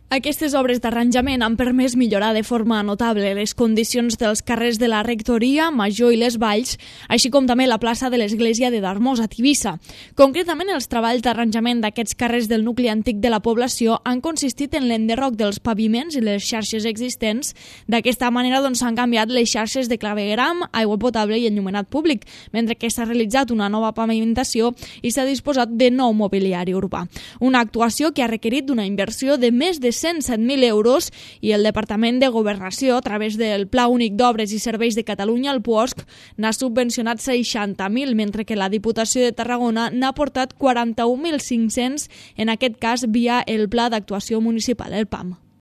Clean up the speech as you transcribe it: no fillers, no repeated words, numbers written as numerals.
Aquestes obres d'arranjament han permès millorar de forma notable les condicions dels carrers de la Rectoria, Major i les Valls, així com també la plaça de l'església de Darmós, a Tivissa. Concretament, els treballs d'arranjament d'aquests carrers del nucli antic de la població han consistit en l'enderroc dels paviments i les xarxes existents. D'aquesta manera s'han canviat les xarxes de clavegueram, aigua potable i enllumenat públic, mentre que s'ha realitzat una nova pavimentació i s'ha disposat de nou mobiliari urbà. Una actuació que ha requerit una inversió de més de 107.000 euros i el Departament de Governació, a través del Pla Únic d'Obres i Serveis de Catalunya, el PUOSC, n'ha subvencionat 60.000, mentre que la Diputació de Tarragona n'ha aportat 41.500, en aquest cas via el Pla d'Actuació Municipal, el PAM.